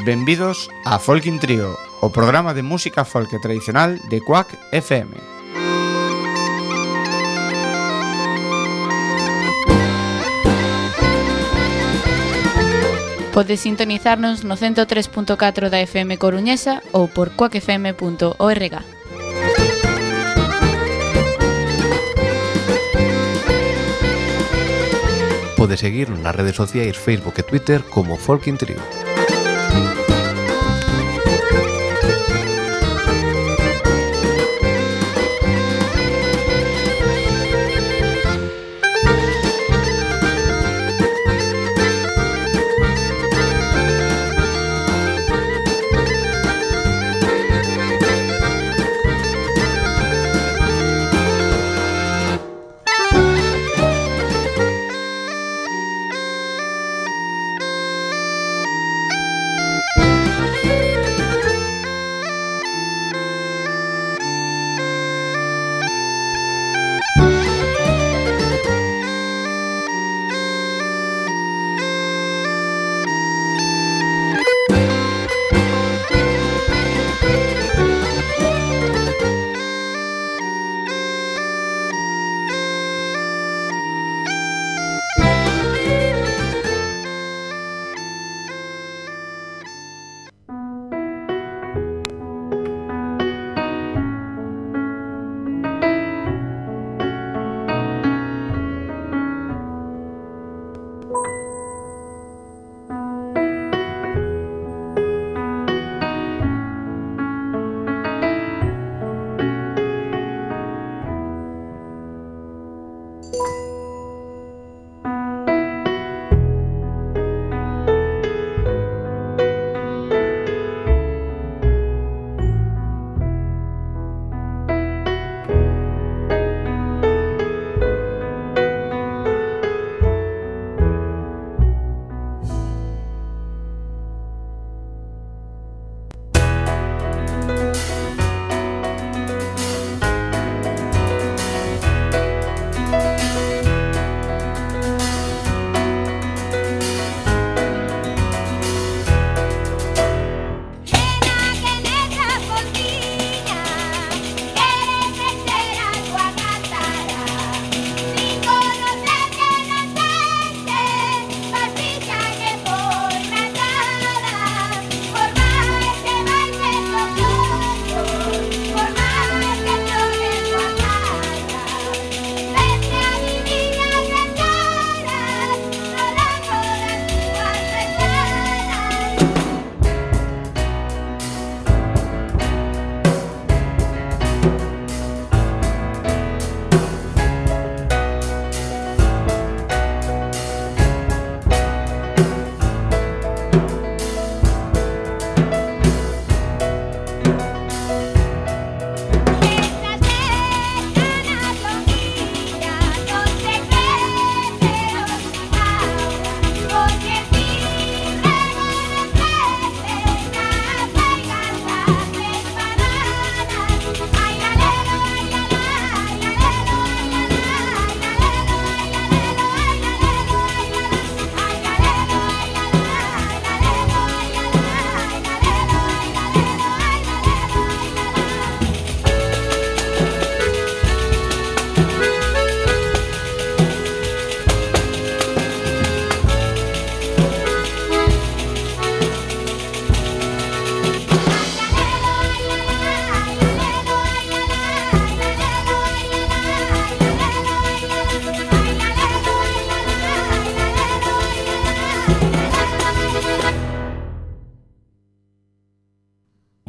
Benvidos a Folkin Trío, o programa de música folk tradicional de Quack FM. Podes sintonizarnos no 103.4 da FM Coruñesa ou por quackfm.org. Podes seguir nas redes sociais Facebook e Twitter como Folkin Trío.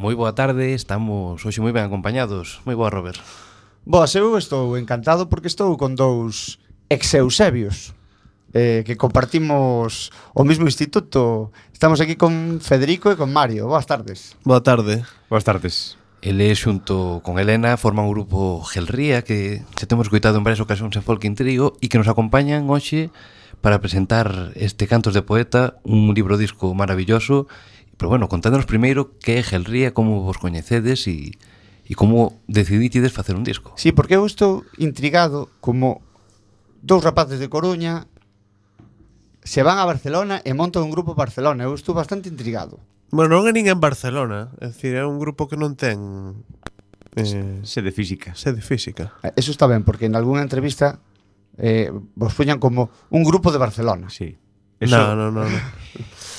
Moi boa tarde, estamos hoxe moi ben acompañados. Moi boa, Robert. Boas, eu estou encantado porque estou con dous ex-eusebios que compartimos o mesmo instituto. Estamos aquí con Federico e con Mario. Boas tardes. Boa tarde. Boas tardes. Ele, xunto con Elena, forman un grupo Gelría que se temos escoitado en varias ocasións en Folkin Trío e que nos acompañan hoxe para presentar este Cantos de Poeta, un libro disco maravilloso. Pero bueno, contándonos primeiro que é Gelría, como vos coñecedes e como decidítides facer un disco. Sí, porque eu estou intrigado como dous rapaces de Coruña se van a Barcelona e montan un grupo en Barcelona. Eu estou bastante intrigado. Bueno, non é nin en Barcelona. É dicir, é un grupo que non ten Sede física. Eso está ben, porque en algunha entrevista vos poñan como un grupo de Barcelona. Sí. No.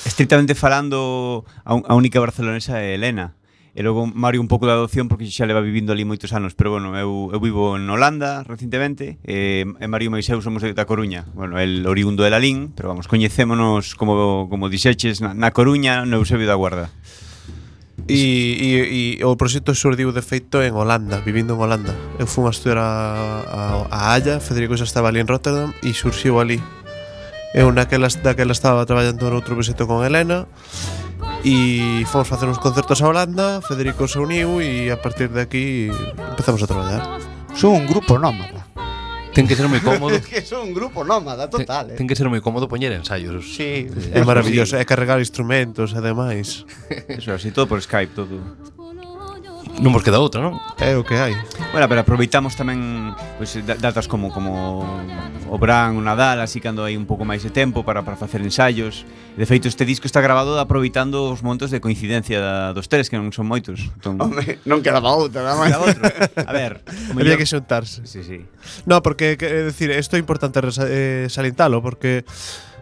Estrictamente falando, a única barcelonesa é Elena. E logo Mario un pouco de adopción porque xa leva vivindo ali moitos anos. Pero bueno, eu vivo en Holanda recentemente, e Mario e eu somos da Coruña. Bueno, el oriundo de Lalín, pero vamos, coñecémonos como dixeches na Coruña, no Eusebio da Guarda. E o proxecto xurdiu de feito en Holanda, vivindo en Holanda. Eu fui a estudiar a Haya, Federico xa estaba ali en Rotterdam e surxiu ali. Eu daquela estaba traballando noutro proxecto con Elena e fomos facer uns concertos a Holanda, Federico se uniu e a partir de aquí empezamos a traballar. Son un grupo nómada. Ten que ser moi cómodo. Es que son un grupo nómada, total. Ten que ser moi cómodo poñer ensaios. Sí, É maravilloso, é carregar instrumentos e demais. Eso, así todo por Skype, todo. Non vos queda outra, non? É o que hai. Bueno, pero aproveitamos tamén pois, datas como o Bran, o Nadal, así cando hai un pouco máis de tempo para facer ensaios. De feito, este disco está grabado aproveitando os momentos de coincidencia dos tres, que non son moitos. Entón, non quedaba outra, nada máis. A ver, Había que xuntarse. Sí. No, porque, é dicir, isto é importante salientalo, porque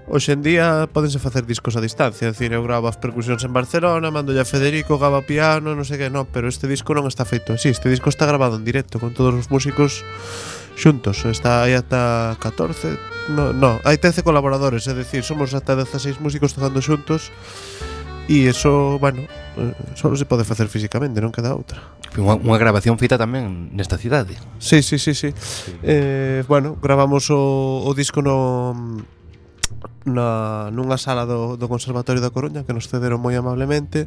hoxe en día pódense facer discos a distancia. É dicir, eu gravo as percusións en Barcelona, mando a Federico, grava piano, non sei que, no, pero este disco non está feito así. Este disco está grabado en directo con todos os músicos xuntos. Está aí ata 14, no, hai 13 colaboradores, é dicir, somos ata 16 músicos tocando xuntos. E eso, bueno, só se pode facer físicamente, non queda outra. Unha grabación feita tamén nesta cidade. Sí. Bueno, gravamos o disco nunha sala do Conservatorio da Coruña que nos cederon moi amablemente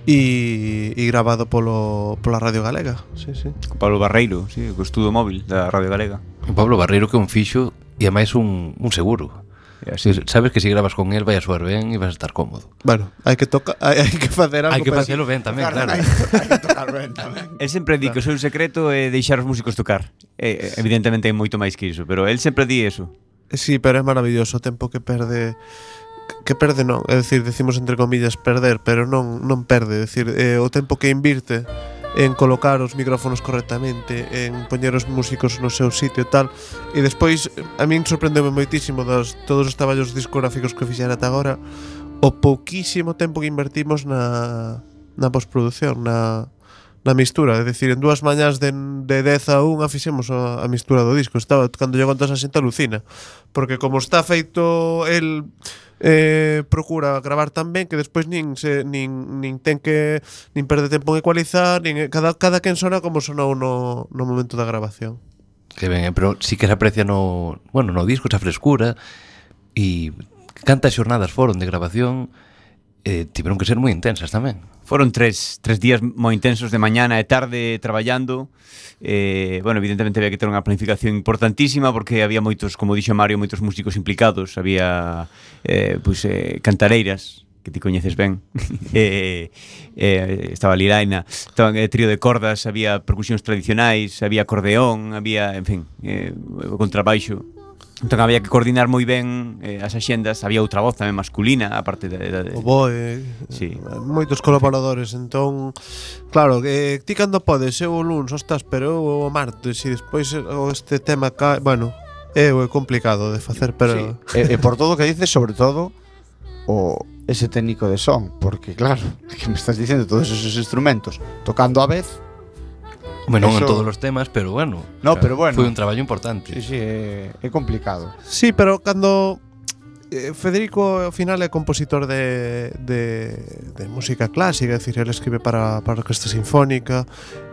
e gravado pola Radio Galega. Sí. Pablo Barreiro, sí, co estudo móvil da Radio Galega. O Pablo Barreiro que é un fixo e ademais un seguro. Así. Sabes que se grabas con él vai a soar ben e vas a estar cómodo. Bueno, hai que facer algo. Hai que facelo ben tamén, claro. Hai que tocar ben tamén. El sempre di que o seu secreto é deixar os músicos tocar. Evidentemente hai moito máis que iso, pero el sempre di eso. Sí, pero é maravilloso o tempo que perde. Que perde non, é dicir, decimos entre comillas perder, pero non perde, é dicir, o tempo que invirte en colocar os micrófonos correctamente, en poñer os músicos no seu sitio e tal. E despois a min sorprendeume moitísimo todos os traballos discográficos que fixera ata agora, o pouquísimo tempo que invertimos na postproducción, na mistura, é dicir, en 2 mañás de 10 a 1 fixemos a mistura do disco. Estaba, cando lle contas a xente alucina, porque como está feito, el procura gravar tan ben que despois nin ten que nin perde tempo en ecualizar, nin cada quen sona como sonou no momento da grabación. Que ben, pero sí que se aprecia no disco esa frescura e cantas xornadas foron de grabación. Tiveron que ser moi intensas tamén. Foron tres días moi intensos de mañana e tarde traballando. Bueno, evidentemente había que ter unha planificación importantísima porque había moitos, como dixo Mario, moitos músicos implicados. Había cantareiras que ti coñeces ben. Estaba Liraina, estaba trío de cordas, había percusións tradicionais, había acordeón, había, en fin, contrabaixo. Entón había que coordinar moi ben as axendas. Había outra voz tamén masculina, aparte de o boe, sí. Moitos colaboradores. Entón, claro, ti cando podes, eu o luns, ostras, pero eu o martes e despois este tema bueno, é complicado de facer, pero sí. Por todo o que dices, sobre todo ese técnico de son, porque claro, que me estás dicindo todos esos instrumentos tocando a vez. Non en todos os temas, pero bueno. No, pero bueno. Foi un traballo importante. Sí, é complicado. Sí, pero cando Federico ao final é compositor de música clásica, é dicir, ele escribe para a orquesta sinfónica.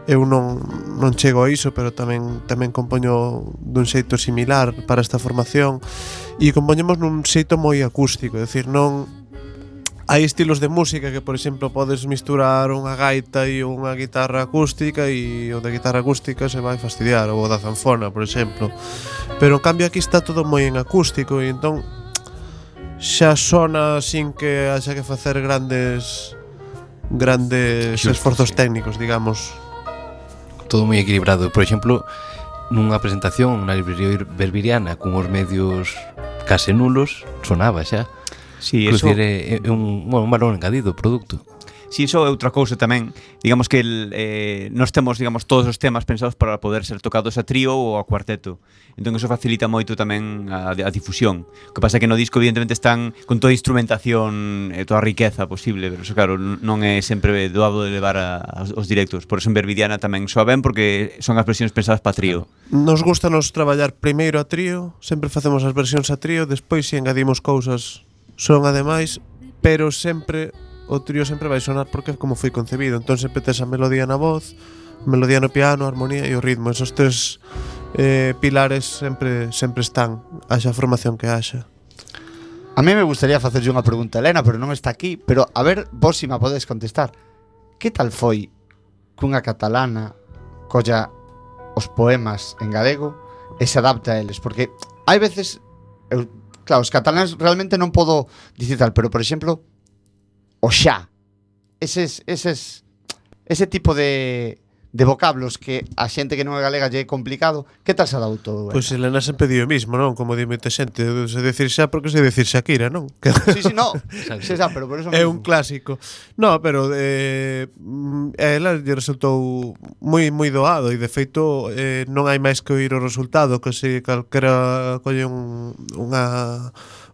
Eu non chego a iso, pero tamén compoño dun xeito similar para esta formación e compoñemos nun xeito moi acústico, é dicir, non. Hai estilos de música que, por exemplo, podes misturar unha gaita e unha guitarra acústica e o da guitarra acústica se vai fastidiar, ou o da zanfona, por exemplo. Pero, en cambio, aquí está todo moi en acústico e entón xa sona sin que haxa que facer grandes esforzos técnicos, digamos. Todo moi equilibrado. Por exemplo, nunha presentación na librería Belviriana con os medios case nulos, sonaba xa. Sí, eso é un valor engadido o produto. Si iso é outra cousa tamén, digamos que nós temos, digamos, todos os temas pensados para poder ser tocados a trío ou a cuarteto. Entón iso facilita moito tamén a difusión. O que pasa é que no disco evidentemente están con toda a instrumentación e toda a riqueza posible, pero iso claro, non é sempre doado de levar aos directos. Por eso en Verbidiana tamén soa ben porque son as versións pensadas para trío. Nos gusta nos traballar primeiro a trío, sempre facemos as versións a trío, despois si engadimos cousas son ademais, pero sempre o trío sempre vai sonar porque é como foi concebido. Entón sempre tes a melodía na voz, melodía no piano, a armonía e o ritmo. Esos tres pilares sempre están, haxa formación que haxa. A mí me gustaría facerlle unha pregunta a Elena, pero non está aquí. Pero a ver, vos si me podes contestar. Que tal foi cunha catalana colla os poemas en galego e se adapta a eles? Porque hai veces, claro, os cataláns realmente non podo dicir tal, pero por exemplo, o xa, ese tipo de vocablos que a xente que non é galega lle é complicado, que tal se adaptou? Pois Elena sempre di o mismo, non? Como di moita xente, se decir xa porque se decir Shakira, non? Sí, no, se xa, pero por eso é mismo. un clásico. No, pero a ela lle resultou moi doado e de feito non hai máis que oír o resultado, que se calquera colle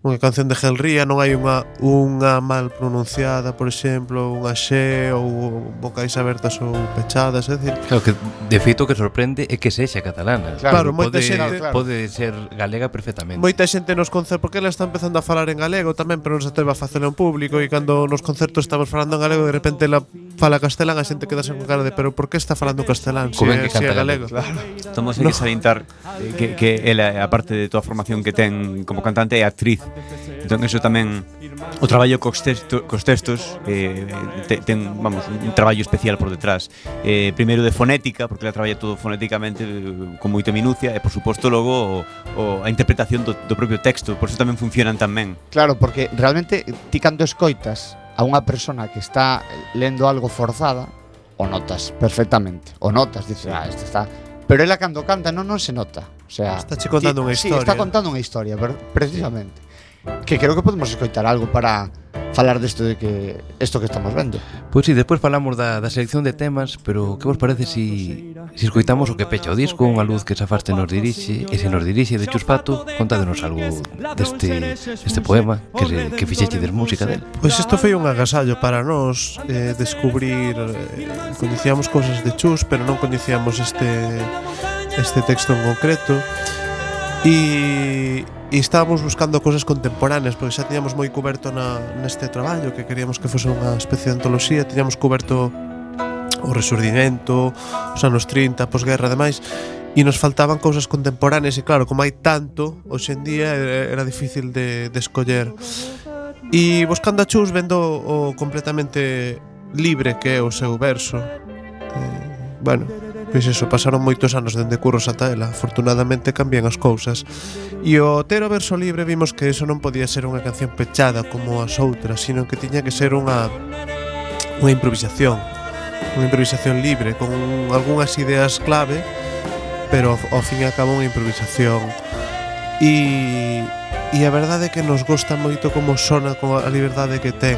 unha canción de Gelría, non hai unha mal pronunciada, por exemplo, unha xe ou vocais abertas ou pechadas, é dicir, Claro que de feito o que sorprende é que sexa catalana. Claro, moita xente- pode ser galega perfectamente. moita xente nos concertos, porque ela está empezando a falar en galego tamén, pero non se atreve a facelo en público, e cando nos concertos estamos falando en galego, de repente ela fala castelán, a xente queda con cara de pero por que está falando castelán Como se ben que é canta galego? galego. Estamos hai que salientar que ela, aparte de toda a formación que ten como cantante, é actriz. Entón eso tamén o traballo cos textos ten, vamos, un traballo especial por detrás. Primeiro de fonética, porque ela traballa todo fonéticamente con moita minucia, e por suposto logo a interpretación do propio texto, por eso tamén funcionan tan ben. Claro, porque realmente ti cando escoitas a unha persona que está lendo algo forzada, o notas perfectamente, o notas, dices, este está... Pero ela cando canta non se nota. O sea, Está che contando unha Sí, historia. está contando unha historia, precisamente. Que creo que podemos escoitar algo para falar desto de que isto que estamos vendo. Pois si, despois falamos da selección de temas, pero que vos parece si escoitamos o que pecha o disco, unha luz que se afaste nos dirixe, e se nos dirixe de Chuspato, contádenos algo deste poema que fixechedes música del. Pois isto foi un agasallo para nós descubrir, coñecíamos cousas de Chus, pero non coñecíamos este texto en concreto, e estábamos buscando cousas contemporáneas, porque xa tiñamos moi cuberto neste traballo, que queríamos que fose unha especie de antoloxía. Tiñamos cuberto o Resurdimento, os anos 30, posguerra e demais, e nos faltaban cousas contemporáneas, e claro, como hai tanto hoxe en día, era difícil de escoller. E buscando a Chus, vendo o completamente libre que é o seu verso, bueno, pois eso, pasaron moitos anos dende curros ata ela. Afortunadamente cambian as cousas. E o ter o verso libre vimos que eso non podía ser unha canción pechada como as outras, sino que tiña que ser unha improvisación libre, con algunhas ideas clave, pero ao fin e ao cabo unha improvisación. E a verdade é que nos gosta moito como sona, con a liberdade que ten.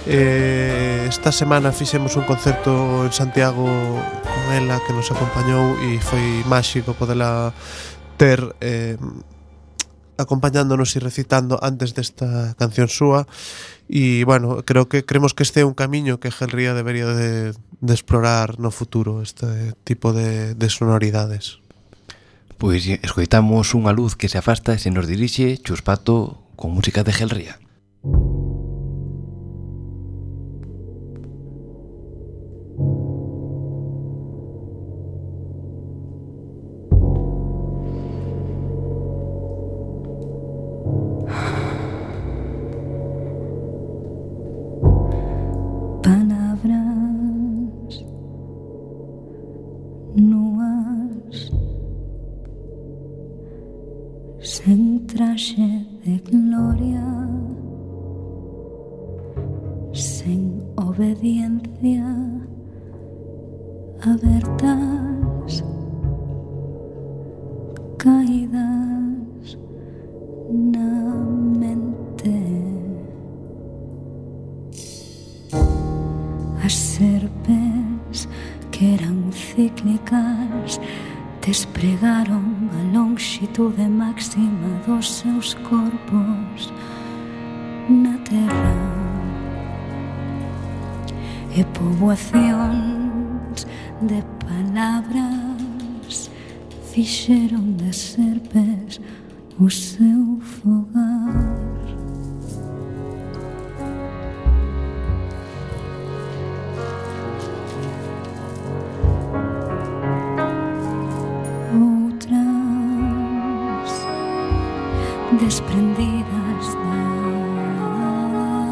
Esta semana fixemos un concerto en Santiago con ela, que nos acompañou, e foi máxico podela ter acompañándonos e recitando antes desta canción súa. E bueno, creemos que este é un camiño que Gelría debería de explorar no futuro, este tipo de sonoridades. Pois escoitamos unha luz que se afasta e se nos dirixe Chuspato con música de Gelría. Palabras nuas sen traxe de gloria, sen obediencia, abertas, caídas na mente. despregaron a longitude máxima dos seus corpos na terra, e poboacións de palabras fixeron de serpes o seu fogar. Desprendidas da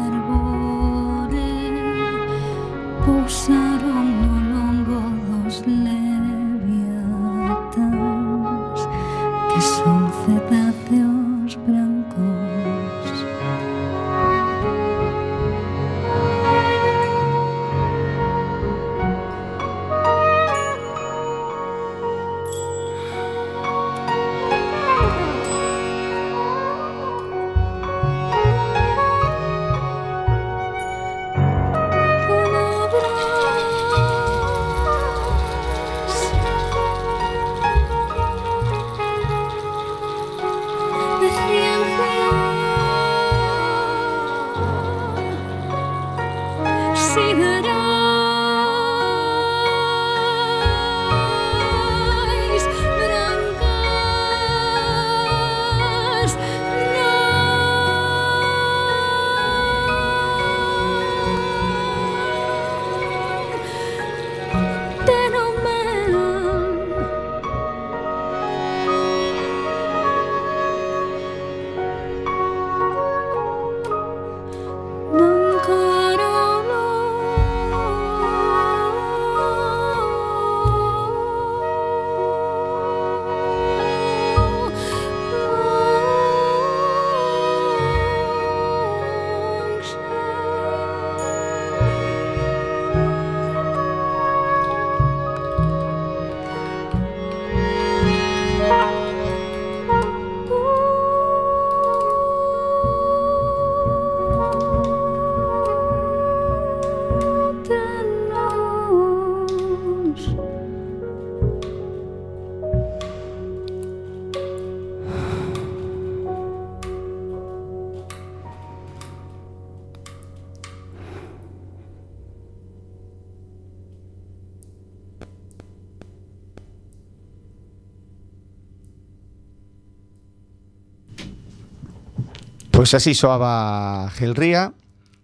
árbore, pousaron no longo dos leviatans, que son cetáceos brancos. Pois así soaba Gil Ría.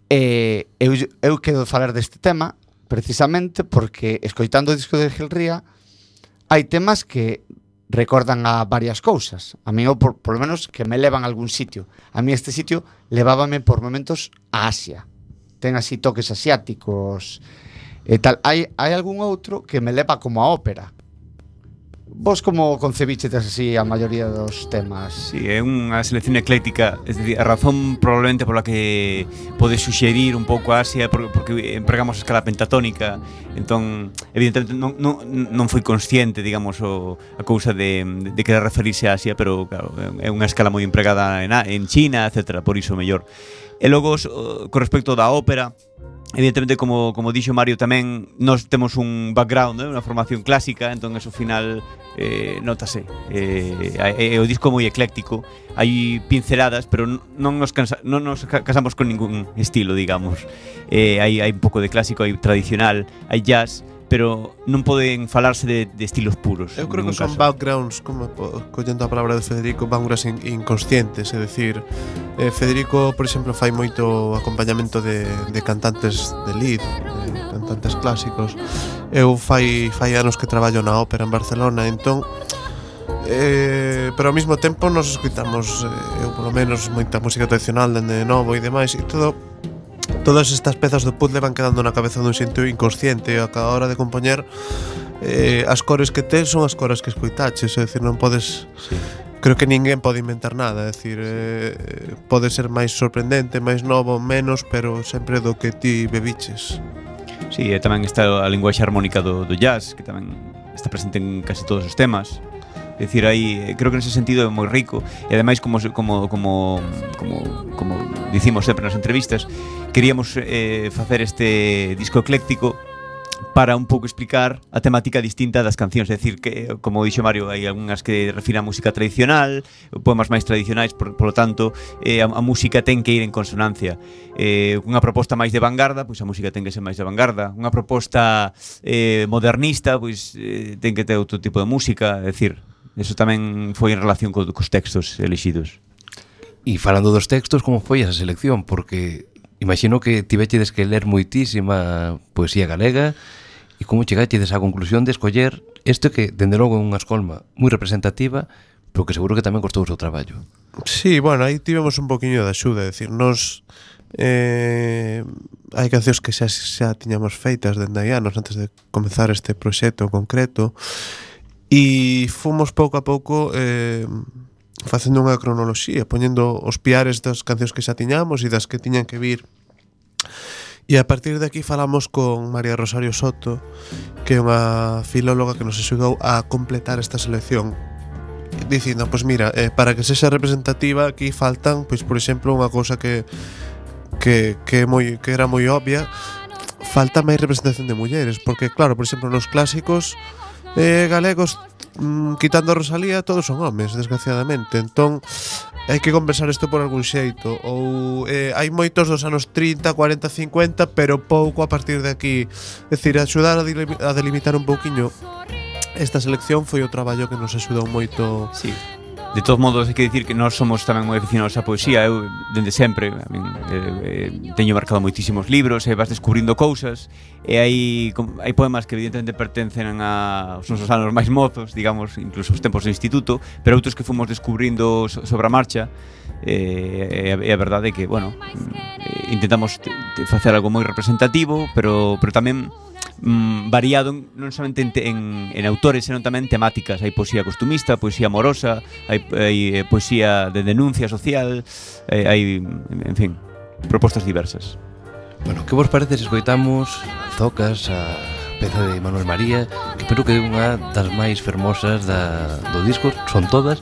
Eu quero falar deste tema precisamente porque, escoitando o disco de Gil Ría, hai temas que recordan a varias cousas. A mí, por lo menos, que me levan a algún sitio. A mí este sitio levábame por momentos a Asia. Ten así toques asiáticos e tal. Hai algún outro que me leva como a ópera. Vos como concebichetes así a maioría dos temas? Sí, é unha selección ecléctica. Es decir, a razón probablemente pola que pode suxerir un pouco a Asia porque empregamos a escala pentatónica. Entón, evidentemente non foi consciente, digamos, a cousa de querer referirse a Asia, pero claro, é unha escala moi empregada en China, etc. Por iso mellor. E logo, con respecto da ópera, evidentemente, como dixo Mario tamén, nós temos un background, unha formación clásica, entón eso final notase. É o disco moi ecléctico, hai pinceladas, pero non nos casamos con ningún estilo, digamos. Hai un pouco de clásico, hai tradicional, hai jazz, pero non poden falarse de estilos puros. Eu creo que son backgrounds, como collendo a palabra de Federico, backgrounds inconscientes, é dicir, Federico, por exemplo, fai moito acompañamento de cantantes de lead, de cantantes clásicos. Eu fai anos que traballo na ópera en Barcelona, entón pero ao mesmo tempo nos escoitamos, eu polo menos, moita música tradicional dende novo e demais, e todas estas pezas do puzzle van quedando na cabeza dun xeito inconsciente, e a cada hora de compoñer as cores que tes son as cores que escoitaches, é dicir, non podes... Sí. Creo que ninguén pode inventar nada, é dicir, pode ser máis sorprendente, máis novo, menos, pero sempre do que ti bebiches. Sí, e tamén está a linguaxe armónica do jazz, que tamén está presente en casi todos os temas. É dicir, aí creo que nese sentido é moi rico, e ademais como dicimos sempre nas entrevistas, queríamos facer este disco ecléctico para un pouco explicar a temática distinta das cancións. É dicir, que, como dixo Mario, hai algunhas que refiren a música tradicional, poemas máis tradicionais, por lo tanto, a música ten que ir en consonancia. Unha proposta máis de vanguarda, pois a música ten que ser máis de vanguarda. Unha proposta modernista, pois ten que ter outro tipo de música. É dicir, eso tamén foi en relación cos textos elixidos. E falando dos textos, como foi esa selección? Porque imagino que tivechedes que ler moitísima poesía galega e como chegachedes á conclusión de escoller isto que, dende logo, é unha escolma moi representativa, pero que seguro que tamén costou o seu traballo. Sí, bueno, aí tivemos un poquinho de axuda, é dicir, nos hai cancións que xa tiñamos feitas dende hai anos antes de comezar este proxecto concreto e fomos pouco a pouco facendo unha cronoloxía, poñendo os piares das cancións que xa tiñamos e das que tiñan que vir. E a partir de aquí falamos con María Rosario Soto, que é unha filóloga que nos axudou a completar esta selección, dicindo, pois mira, para que sexa representativa aquí faltan, pois por exemplo, unha cousa que era moi obvia, falta máis representación de mulleres, porque claro, por exemplo, nos clásicos galegos, quitando a Rosalía, todos son homes, desgraciadamente. Entón, hai que compensar isto por algún xeito. Ou hai moitos dos anos 30, 40, 50, pero pouco a partir de aquí. É dicir, axudar a delimitar un pouquiño esta selección foi o traballo que nos axudou moito. Sí. De todos modos, hai que dicir que nós somos tamén moi aficionados á poesía. Eu, dende sempre, teño marcado moitísimos libros e vas descubrindo cousas. E hai poemas que evidentemente pertencen aos nosos anos máis mozos, digamos, incluso os tempos do instituto, pero outros que fomos descubrindo sobre a marcha. E a verdade é que, bueno, intentamos facer algo moi representativo, pero tamén variado non somente en autores, senón tamén temáticas. Hai poesía costumista, poesía amorosa, hai poesía de denuncia social, hai, en fin, propostas diversas. Bueno, que vos parece se escoitamos Zocas, a peza de Manuel María, que creo que é unha das máis fermosas do disco, son todas,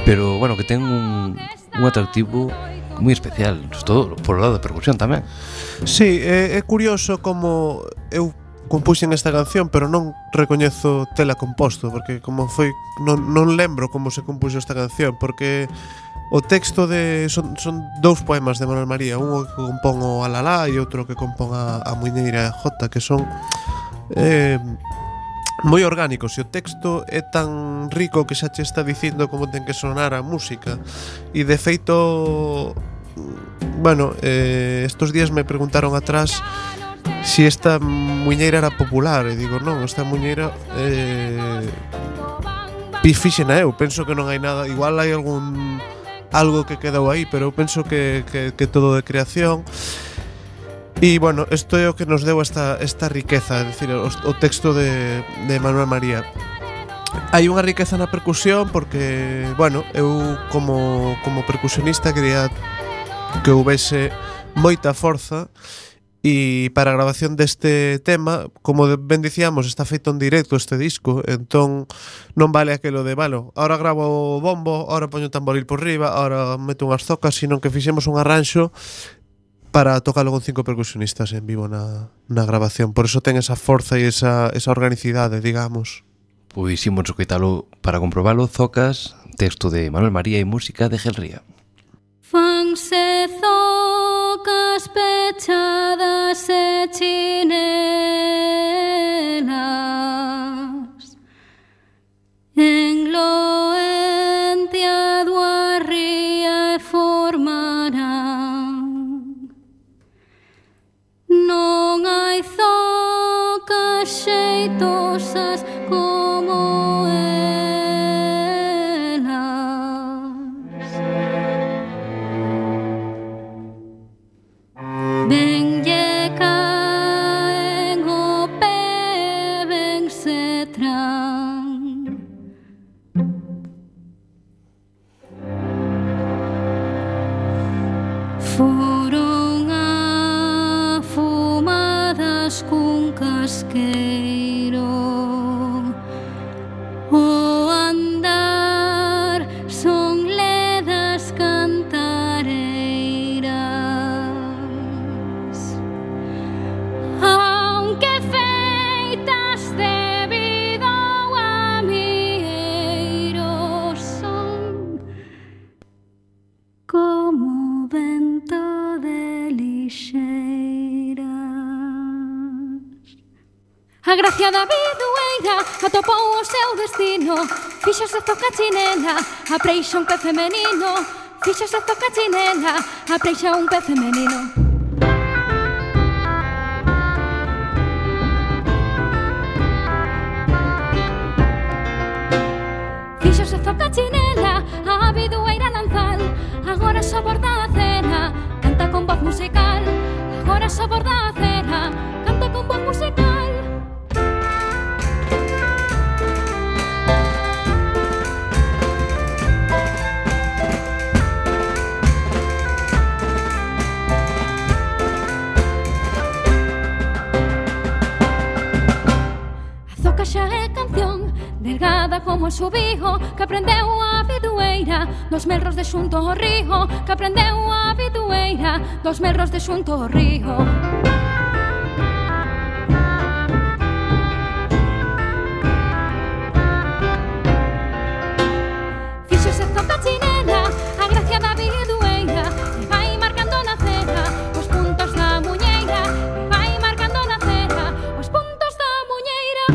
pero, bueno, que ten un atractivo moi especial, todo por o lado da percusión tamén. Sí, é curioso como eu compuxen esta canción, pero non recoñezo tela composto, porque como foi non lembro como se compuxo esta canción, porque o texto son dous poemas de Manuel María, un que compón o Alalá e outro que compón a Muiñeira J, que son moi orgánicos, e o texto é tan rico que xa che está dicindo como ten que sonar a música. E de feito, bueno, estos días me preguntaron atrás si esta muñeira era popular, e digo, non, esta muñeira fixena eu, penso que non hai nada, igual hai algo que quedou aí, pero eu penso que todo de creación. E, bueno, isto é o que nos deu esta riqueza, é dicir, o texto de Manuel María. Hai unha riqueza na percusión porque, bueno, eu como percusionista quería que houvese moita forza. E para a grabación deste tema, como ben dicíamos, está feito en directo este disco, entón non vale aquelo de, bueno, ahora gravo o bombo, ahora poño o tamboril por riba, ahora meto unhas zocas, sino que fixemos un arranxo para tocalo con 5 percusionistas en vivo na grabación. Por eso ten esa forza e esa organicidade, digamos. Pois imos escoitalo para comprobalo. Zocas, texto de Manuel María e música de Gelría. Fanse zocas pechadas e chinelas en Loentia do Arría e formarán. Non hai zocas xeitosas como ben lle caen o pé, ben se tran. Foron afumadas cun casqueiro, o andar son ledas cantareiras. Aunque fen A gracia da bidueira atopou o seu destino. Fixose zoca chinela, apreixa un pez femenino. Fixose zoca chinela, apreixa un pez femenino. Fixose zoca chinela, a bidueira lanzal. Agora só borda a cera, canta con voz musical. Agora só borda a cera, canta con voz musical. A zoca xa é canción, delgada como o subijo, que aprendeu a bidueira dos melros de xunto ao río, que aprendeu a bidueira dos melros de xunto ao río. Fíxose zoca chinela, a gracia da bidueira, e vai marcando na cera os puntos da muñeira, e vai marcando na cera os puntos da muñeira.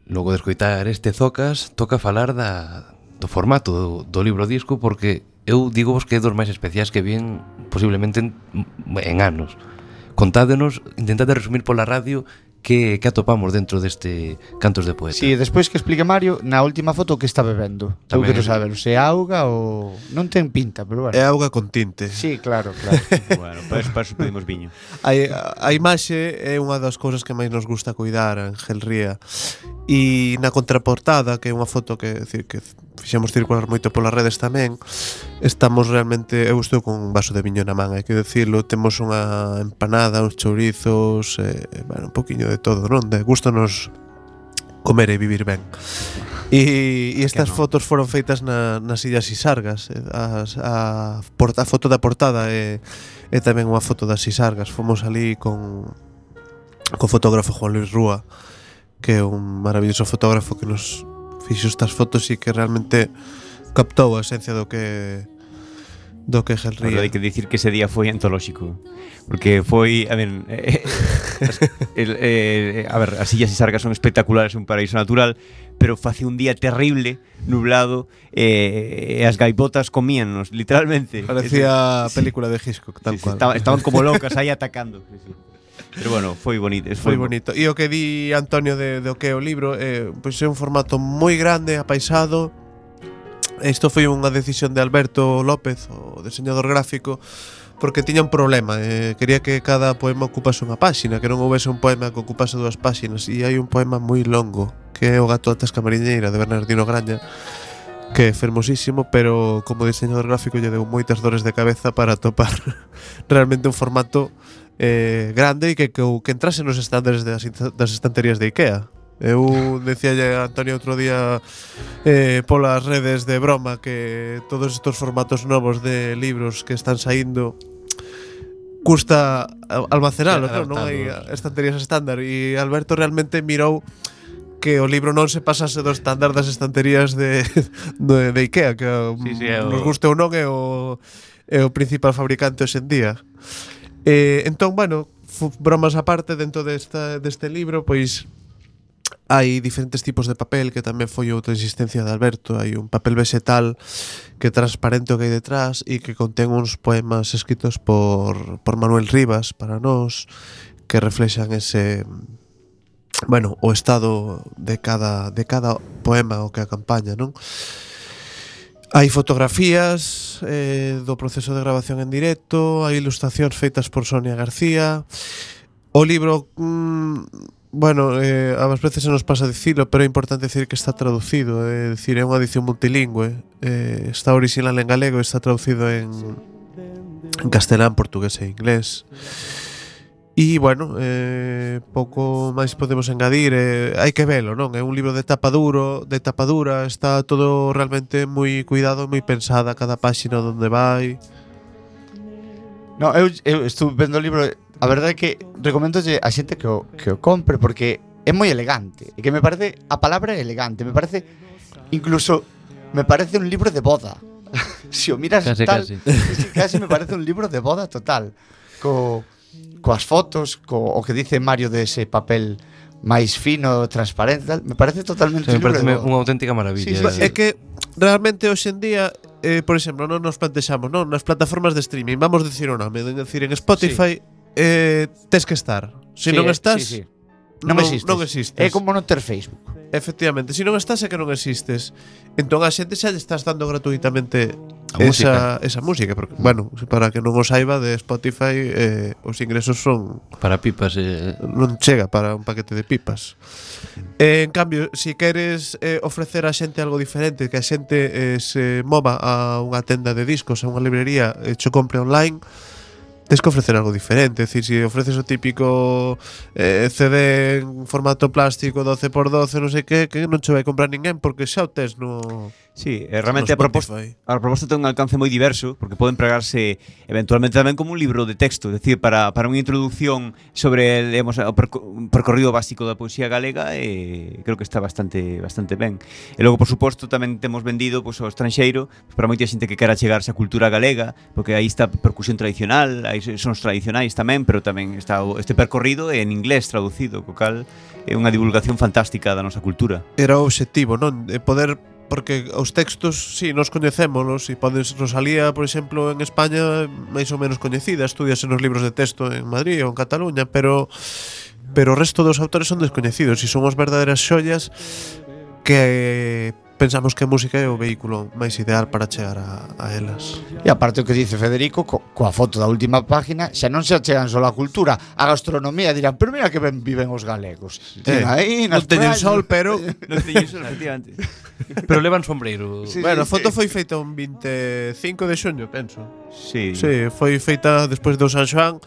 Logo de escoitar este Zocas, toca falar do formato do libro disco, porque eu digo vos que é dos máis especiais que vien posiblemente en anos. Contádenos, intentade resumir pola radio que atopamos dentro deste Cantos de Poeta. Si, despois que explique Mario, na última foto que está bebendo. Eu Tamén. quero saber se é auga ou... Non ten pinta, pero bueno. É auga con tinte. Sí, claro, claro. Bueno, para eso pedimos viño. A imaxe é unha das cousas que máis nos gusta cuidar en Gelría. E na contraportada, que é unha foto que, decir, que fixemos circular moito polas redes tamén, estamos realmente, eu estou con un vaso de viño na man, hai que decirlo, temos unha empanada, uns chourizos, bueno, un poquinho de todo, non? De gusto nos comer e vivir ben. E estas fotos foron feitas nas Illas Sisargas. A foto da portada é tamén unha foto das Sisargas. Fomos ali con o fotógrafo Juan Luis Rúa, que é un maravilloso fotógrafo que nos fixo estas fotos e que realmente captou a esencia do que Gelría. Hai que dicir que ese día foi antolóxico, porque foi, a ver, as Illas Sisargas son espectaculares, un paraíso natural, pero face un día terrible, nublado, e as gaivotas comíannos, literalmente. Parecía película de Hitchcock, tal cual. Estaban como locas aí atacando. Sí. Pero bueno, foi bonito. Foi bonito. E o que di Antonio do que é o libro, pois é un formato moi grande, apaisado. Isto foi unha decisión de Alberto López, o diseñador gráfico, porque tiña un problema. Quería que cada poema ocupase unha páxina, que non houvese un poema que ocupase 2 páxinas. E hai un poema moi longo, que é O gato da tasca mariñeira, de Bernardino Graña, que é fermosísimo, pero como diseñador gráfico lle deu moitas dores de cabeza para atopar realmente un formato grande e que entrase nos estándares das estanterías de Ikea. Eu decíalle a Antonio outro día polas redes de broma que todos estos formatos novos de libros que están saindo custa almacenalos, non hai estanterías estándar, e Alberto realmente mirou que o libro non se pasase do estándar das estanterías de Ikea, que nos guste ou non é o principal fabricante hoxe en día. Entón, bueno, bromas aparte, dentro deste libro, pois hai diferentes tipos de papel, que tamén foi outra insistencia de Alberto. Hai un papel vegetal que é transparente o que hai detrás e que contén uns poemas escritos por Manuel Rivas para nós, que reflexan ese, bueno, o estado de cada poema o que acompaña, non? Hai fotografías do proceso de grabación en directo, hai ilustracións feitas por Sonia García. O libro Bueno, ás veces se nos pasa dicilo, pero é importante decir que está traducido, é dicir, é unha edición multilingüe, está original en galego e está traducido en castelán, portugués e inglés. E, bueno, pouco máis podemos engadir, hai que velo, non? É un libro de tapa dura, está todo realmente moi cuidado, moi pensada cada páxina onde vai. No, eu estuve vendo o libro. A verdade é que recomendolle a xente que o compre, porque é moi elegante. E que me parece, a palabra é elegante, me parece, incluso me parece un libro de boda. Se o miras casi. Casi me parece un libro de boda total. Coas fotos, o que dice Mario de ese papel máis fino, transparente, tal, me parece totalmente me un libro parece de boda. unha auténtica maravilla. Sí, É que realmente hoxe en día, por exemplo, non nos plantexamos, non, nas plataformas de streaming, vamos decir o nome, decir, en Spotify tes que estar. Se non estás, non existes. É como non ter Facebook. Efectivamente, se non estás é que non existes. Entón a xente xa lle estás dando gratuitamente esa música, porque, bueno, para que non o saiba, de Spotify os ingresos son para pipas, non chega para un paquete de pipas. En cambio, se queres ofrecer a xente algo diferente, que a xente se mova a unha tenda de discos, a unha librería, cho compre online, tens que ofrecer algo diferente. É dicir, se ofreces o típico CD en formato plástico 12x12, non sei que non che vai comprar ninguén, porque xa o tes no... Sí, realmente a proposta ten un alcance moi diverso, porque pode empregarse eventualmente tamén como un libro de texto, é dicir, para unha introducción sobre o percorrido básico da poesía galega, creo que está bastante ben. E logo, por suposto, tamén temos vendido ao estranxeiro, para moita xente que quera chegarse á cultura galega, porque aí está percusión tradicional, aí sons tradicionais tamén, pero tamén está este percorrido en inglés traducido, co cal é unha divulgación fantástica da nosa cultura. Era o obxectivo, non? Poder, porque os textos, sí, nos coñecémolos, e podes Rosalía, por exemplo, en España máis ou menos coñecida, estudias nos libros de texto en Madrid ou en Cataluña, pero o resto dos autores son descoñecidos e son as verdadeiras xollas que pensamos que a música é o vehículo máis ideal para chegar a elas. E aparte o que dice Federico, coa foto da última página, xa non se achegan só a cultura, a gastronomía, dirán, pero mira que ben viven os galegos. Aí, non teñen sol, pero... Non teñen sol, efectivamente. Pero levan sombreiro. Sí, bueno, a foto foi feita un 25 de xuño, penso. Sí. Sí, foi feita despois do San Xoán.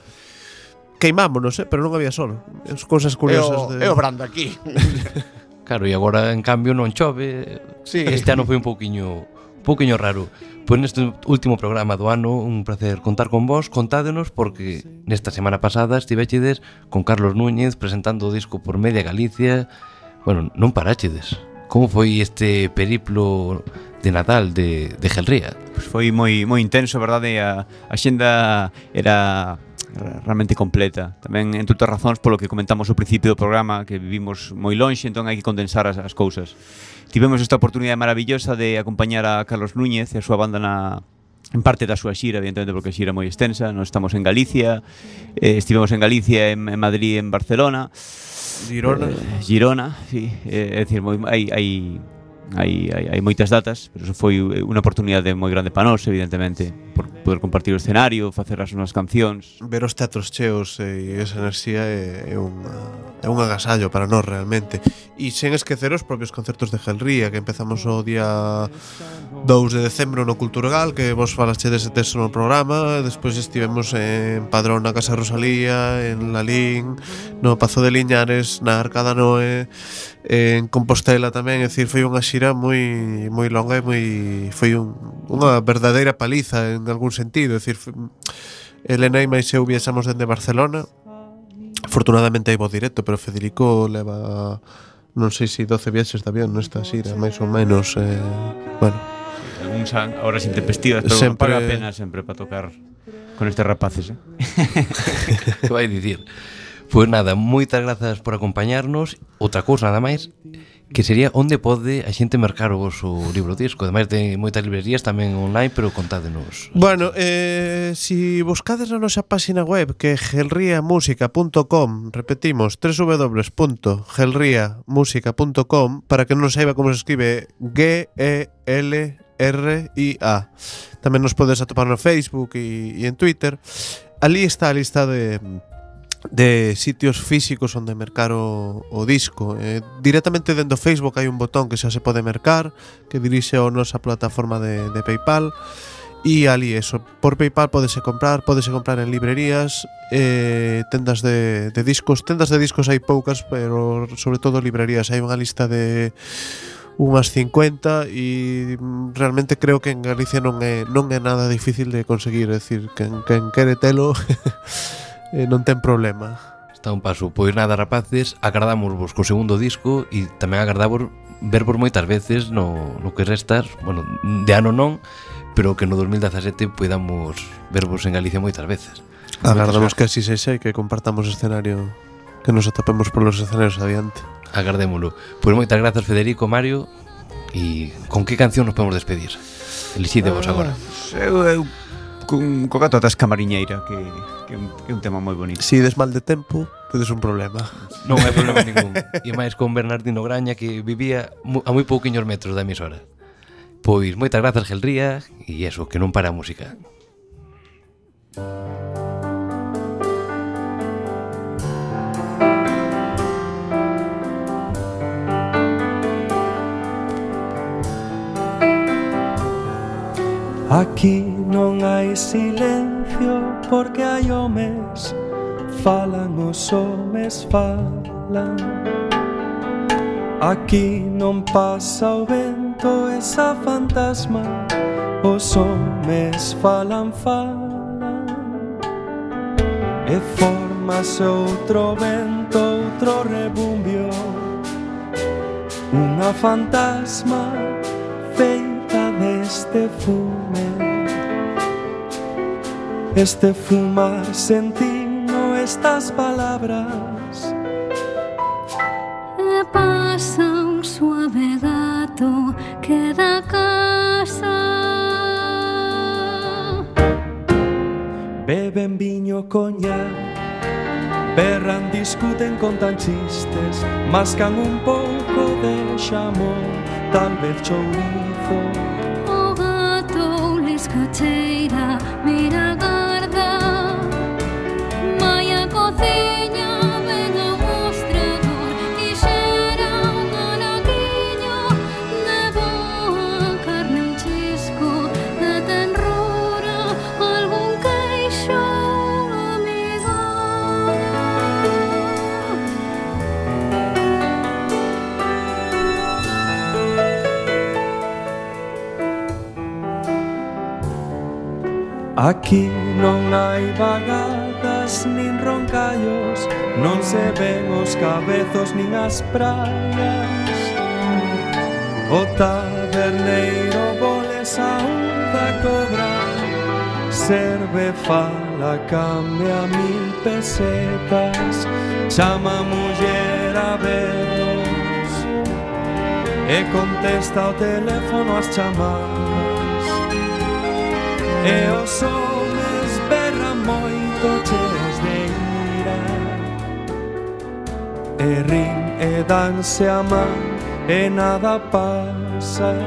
Queimámonos, pero non había sol. As cousas curiosas É o brando aquí. Claro, e agora, en cambio, non chove. Sí. Este ano foi un pouquiño raro. Pois neste último programa do ano, un placer contar con vos. Contádenos, porque nesta semana pasada estivechedes con Carlos Núñez presentando o disco por media Galicia. Bueno, non paráchedes. Como foi este periplo de Nadal de Gelría? Pues foi moi intenso, verdade? A xenda era realmente completa. Tamén, entre outras razóns, polo que comentamos ao principio do programa, que vivimos moi lonxe, entón hai que condensar as cousas. Tivemos esta oportunidade maravillosa de acompañar a Carlos Núñez e a súa banda en parte da súa xira, evidentemente, porque a xira é moi extensa. Nós estamos en Galicia, estivemos en Galicia, en Madrid, en Barcelona, Girona, sí. É dicir, hai moitas datas, pero eso foi unha oportunidade moi grande para nós, evidentemente, por poder compartir o escenario, facer as nosas cancións. Ver os teatros cheos e esa enerxía é un agasallo para nós realmente. E sen esquecer os propios concertos de Gelría, que empezamos o día 2 de decembro no Culturgal, que vos falaste dese texto no programa. Despois estivemos en Padrón na Casa Rosalía, en Lalín, no Pazo de Liñares, na Arcada Noé, en Compostela tamén. É dicir, foi unha xira moi longa e foi unha verdadeira paliza en algún sentido. É dicir, Elena e máis eu viaxamos dende Barcelona. Afortunadamente hai voz directo, pero Federico leva, non sei se 12 viaxes de avión nesta xira, máis ou menos. Bueno, Algúns horas intempestivas, pero sempre paga a pena sempre para tocar con estes rapaces. Que vai dicir? Pois nada, moitas grazas por acompañarnos. Outra cousa nada máis, que sería onde pode a xente mercar o vosso libro disco. Ademais de moitas librerías tamén online, pero contádenos. Bueno, si buscades na nosa página web, que é gelriamusica.com, repetimos, www.gelriamusica.com, para que non saiba como se escribe Gelria. Tamén nos podes atopar no Facebook e en Twitter. Ali está a lista de de sitios físicos onde mercar o disco. Directamente dentro do Facebook hai un botón que xa se pode mercar, que dirixe a nosa plataforma de PayPal, e ali eso, por PayPal pódese comprar en librerías, tendas de discos. Tendas de discos hai poucas, pero sobre todo librerías hai unha lista de unhas 50 e realmente creo que en Galicia non é nada difícil de conseguir, é dicir, quen quere telo non ten problema. Está un paso. Pois nada, rapaces, agardámosvos co segundo disco e tamén agardamos vervos moitas veces no que restas, bueno, de ano non, pero que no 2017 podamos vervos en Galicia moitas veces. Agardamos que así sexa e que compartamos escenario, que nos atopemos polos escenarios adiante. Agardémolo. Pois moitas grazas, Federico, Mario. E con que canción nos podemos despedir? Elixidevos agora. Eu co gato atrás camariñeira, que é un tema moi bonito. Si des mal de tempo, tedes un problema. Non hai problema ningún. E máis con Bernardino Graña, que vivía a moi pouquiños metros da emisora. Pois moitas grazas, Gelría, e eso, que non para a música. Aquí non hai silencio porque hai homes, falan os homes falan. Aquí non pasa o vento, esa fantasma, os homes falan. E formase outro vento, outro rebumbio, unha fantasma feita deste fume. Este fumar sentindo estas palabras. E pasa un suave gato que da casa. Beben viño, coñac, berran, discuten, contan chistes, mascan un pouco de xamón, tal vez chourizo. O gato liscacheira, mira garda, vai a cociña, ven ao mostrador e xera un anaquiño de boa carne, un chisco de tenrura, algún queixo amigado. Aquí non hai vagadas nin roncallos, non se ven os cabezos nin as praias. O taberneiro boles aúda cobra, serve, fala, cambia 1000 pesetas, chama a muller a veros e contesta ao teléfono as chamadas. E os homes berran moito cheos de ira, e rin e danse a man e nada pasa.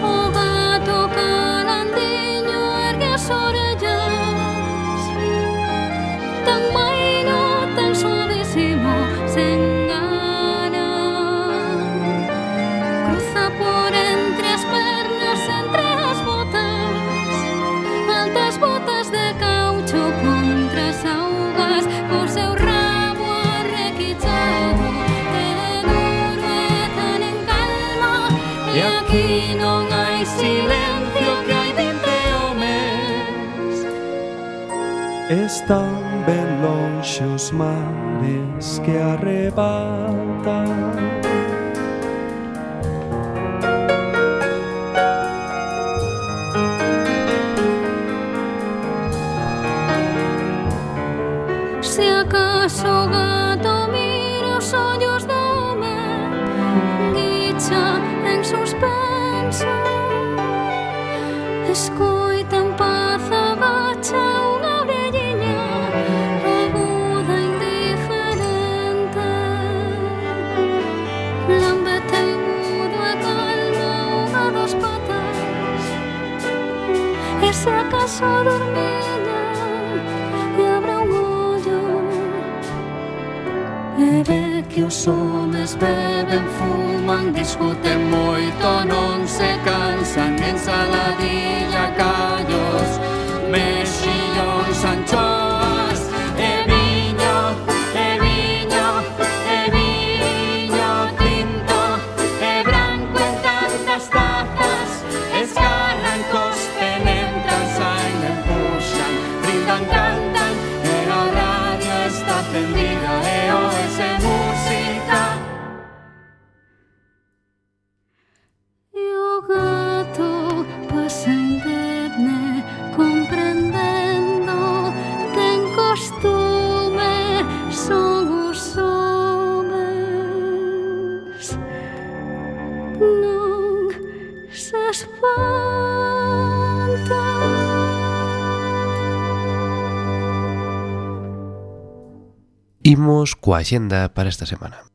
O gato carandiño ergue as orellas, tan maino, tan suavecimo, sen gana. Cruza por entre as pernas, entre as botas, altas botas de caucho contra as augas, co seu rabo arrequichado, e duro e tan en calma. E aquí non hai silencio, que hai 20 homes. Están ben lonxe os mares que arrebatan. Se acaso o gato mira os ollos do home, guicha en suspenso, escoita en paz, agacha unha orelliña aguda, indiferente. Lambete mudo e calma unha das patas, e se acaso dormida e abre un ollo e ve que os homes beben, fuman, discuten moito, non se cansan, ensaladilla, callos, mexillóns, anchoas e viño, e viño, e viño tinto e branco en tantas tazas, escarran, cospen, entran, saen, empuxan, brindan, cantan e a radio está encendida e oese música. E o gato pasa indemne comprendendo, ten costume, son os homes, non se espanta. Imos coa axenda para esta semana.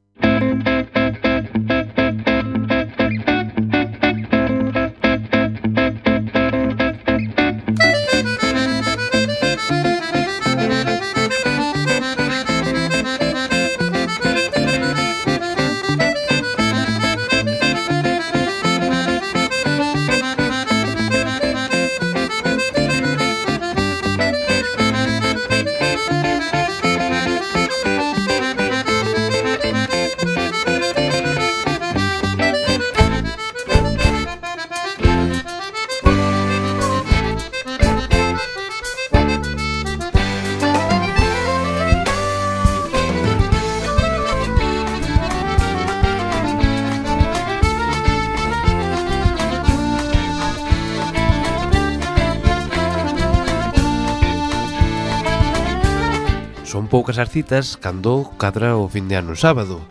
Son poucas as citas cando cadra o fin de ano sábado,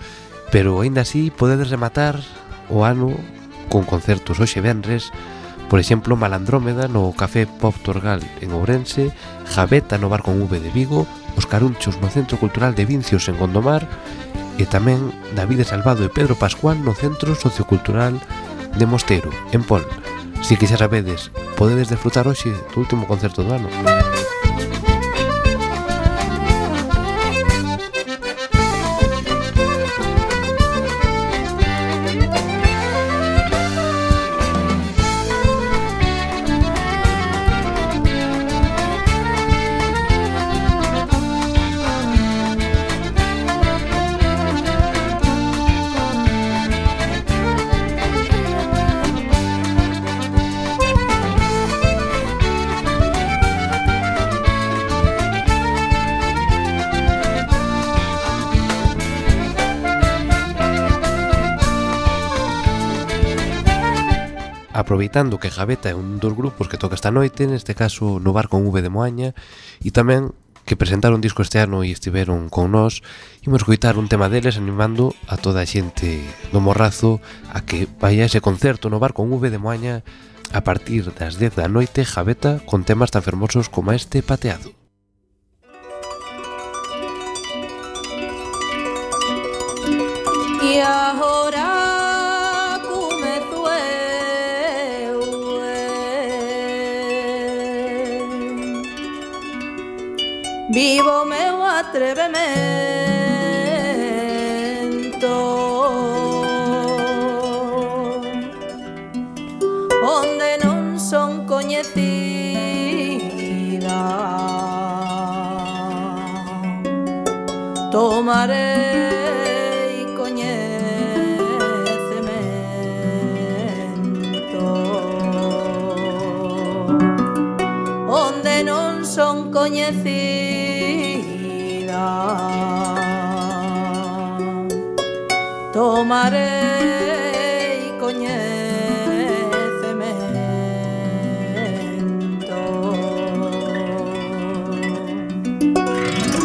pero aínda así podedes rematar o ano con concertos hoxe venres, por exemplo Malandrómeda no Café Pop Torgal en Ourense, Gaveta no Bar con V de Vigo, Os Carunchos no Centro Cultural de Vincios en Gondomar e tamén David Salvado e Pedro Pascual no Centro Sociocultural de Mosteiro, en Pol. Si que xa sabedes, podedes desfrutar hoxe do último concerto do ano. Aproveitando que Gaveta é un dos grupos que toca esta noite, neste caso no Bar con V de Moaña, e tamén que presentaron disco este ano e estiveron con nós, imos escoitar un tema deles animando a toda a xente do Morrazo a que vaya ese concerto no Bar con V de Moaña a partir das 10 da noite. Gaveta con temas tan fermosos como este Pateado. E agora vivo meu atrevemento, onde non son coñecida, tomarei coñecemento, onde non son coñecida, tomarei coñecemento.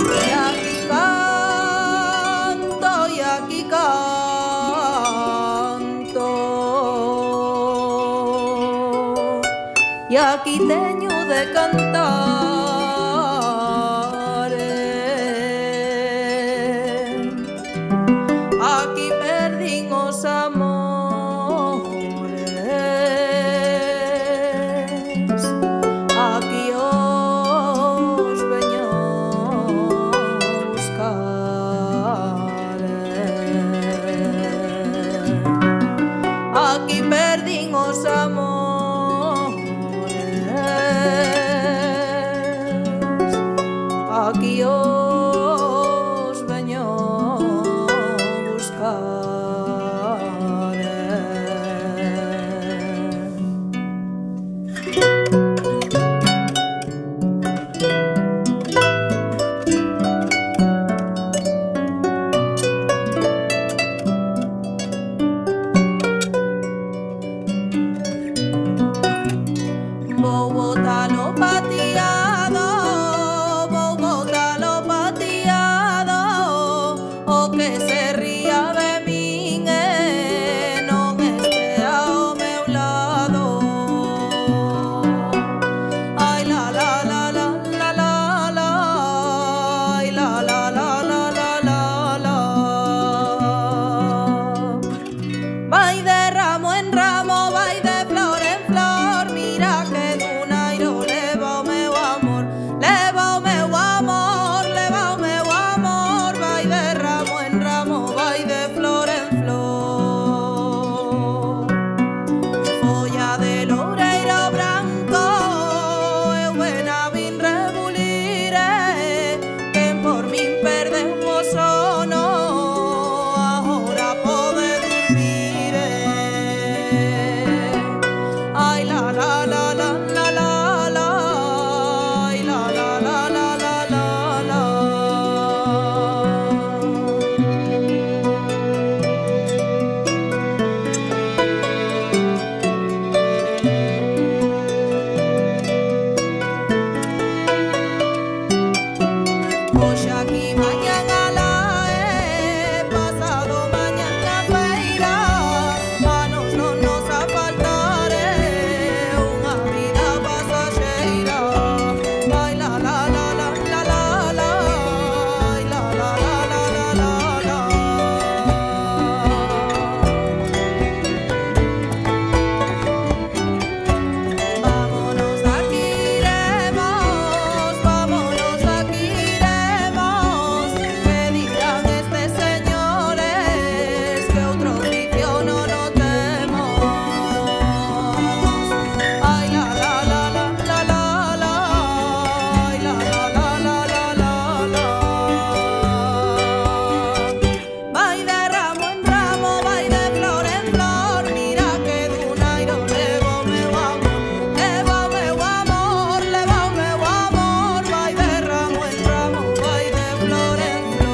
E aquí canto, e aquí canto, e aquí teño de cantar. perdín os amores. Aquí os veño buscar. Vou botalo pateado, vou botalo pateado, o que se ría de min non estea ao meu lado. Ai la la la la la la la, ai la la la la la la la. Vai de ramo en ramo, vai de flor en flor, mira que dun airo leva o meu amor, leva o meu amor, leva o meu amor. Vai de ramo en ramo, vai de flor en flor. Folla de loureiro branco, eu ben a vin rebulir, quen por min perdeu o sono, agora pode dormir. Ai la la la la la la la, ai la la la la la la la. Hoxe aquí, mañan alá, pasado mañan a feira, a nos non nos a faltar unha vida pasaxeira. Ai la la la la la la la, ai la la la la la la la. Vámonos de aquí, iremos, vámonos de aquí, iremos. Que dirán estes señores que outro oficio non o temos. Ai la la la la la la la, ai la la la la la la la. Vai de ramo en ramo, vai de flor en flor, mira que dun airo leva o meu amor, leva o meu amor, leva o meu amor. Vai de ramo en ramo, vai de flor en flor.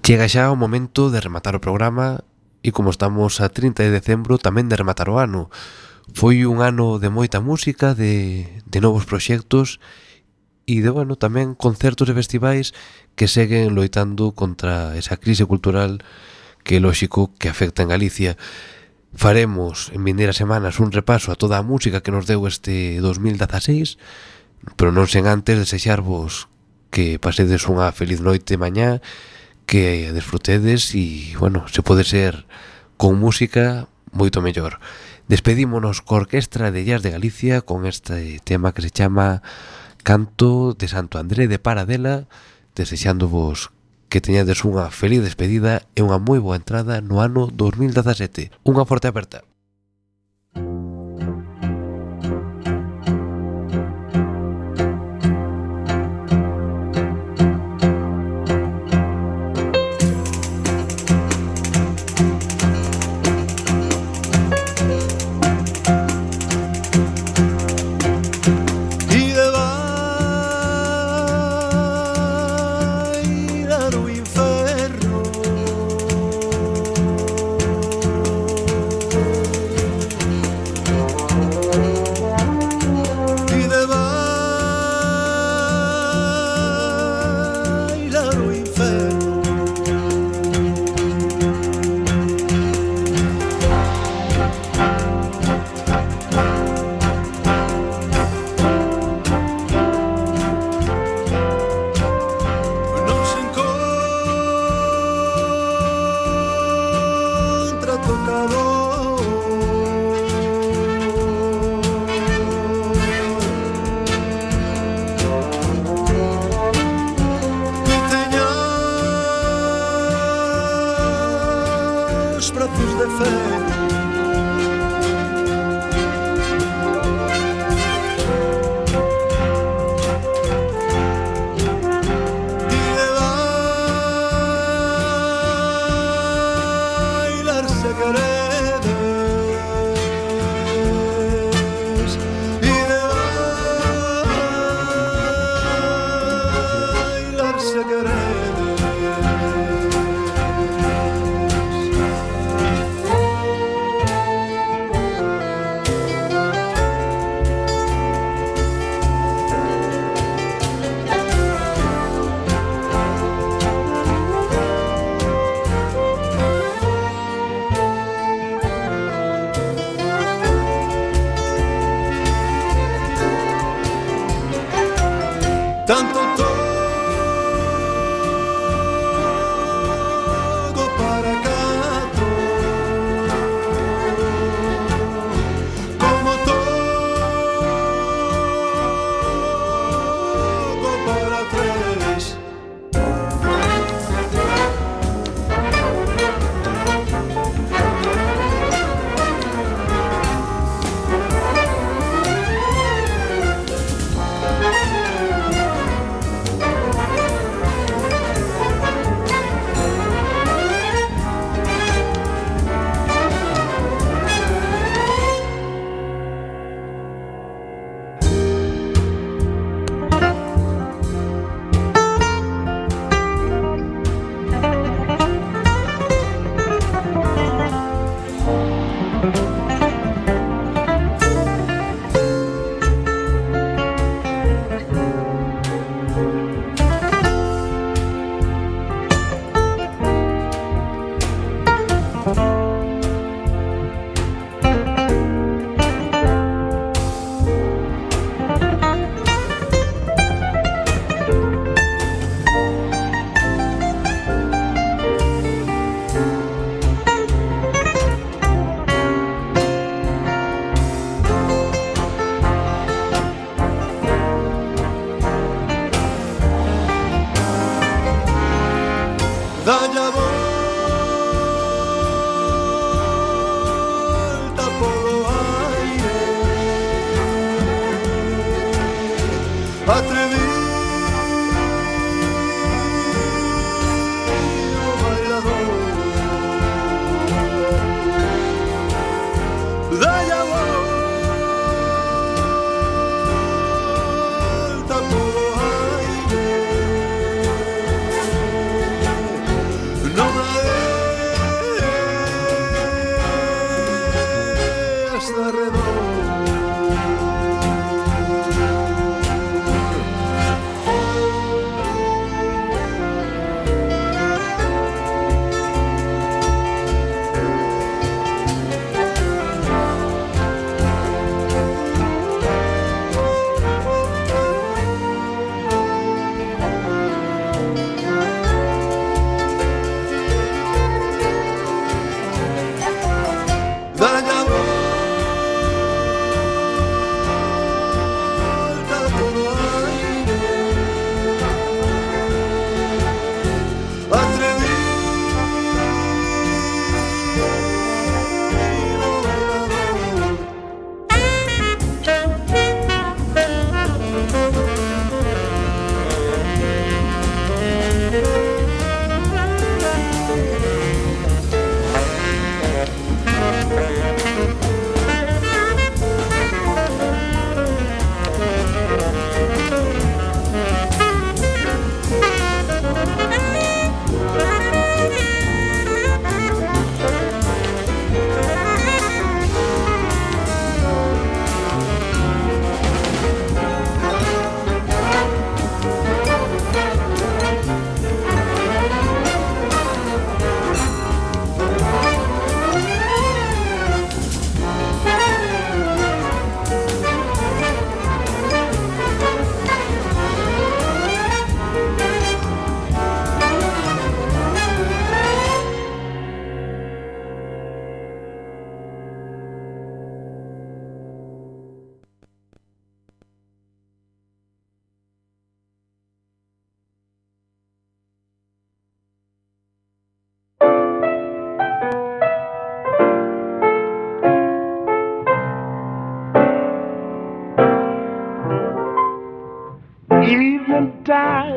Chega xa o momento de rematar o programa e como estamos a 30 de decembro tamén de rematar o ano. Foi un ano de moita música, de novos proxectos e de, bueno, tamén concertos e festivais que seguen loitando contra esa crise cultural que é lóxico que afecta en Galicia. Faremos en vindeiras semanas un repaso a toda a música que nos deu este 2016, pero non sen antes desexarvos que pasedes unha feliz noite mañá, que desfrutedes e, bueno, se pode ser con música moito mellor. Despedímonos co Orquestra de Jazz de Galicia con este tema que se chama Canto de Santo André de Paradela, desexándovos que teñades unha feliz despedida e unha moi boa entrada no ano 2017. Unha forte aperta. calor. Que teñas brazos de fe,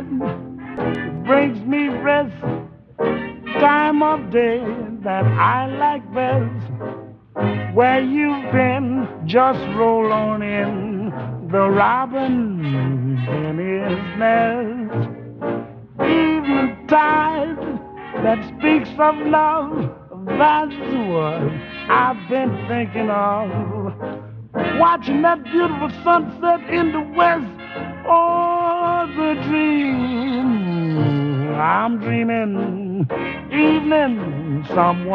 bed. It brings me rest, time of day that I like best. Where you've been, just roll on in. The robin in his nest. Eventide that speaks of love, that's what I've been thinking of. Watching that beautiful sunset in the west. Oh, the dream I'm dreaming. Evening, someone